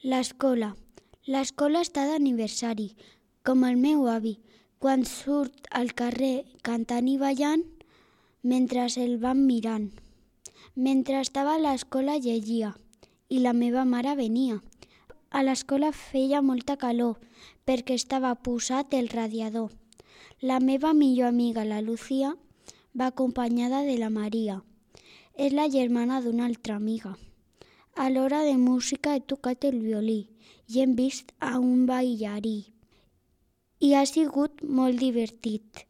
L'escola. L'escola està d'aniversari, com el meu avi, quan surt al carrer cantant i ballant mentre el van mirant. Mentre estava a l'escola llegia i la meva mare venia. A l'escola feia molta calor perquè estava posat el radiador. La meva millor amiga, la Lucía, va acompanyada de la Maria. És la germana d'una altra amiga. A l'hora de música he tocat el violí i hem vist a un ballarí. I ha sigut molt divertit.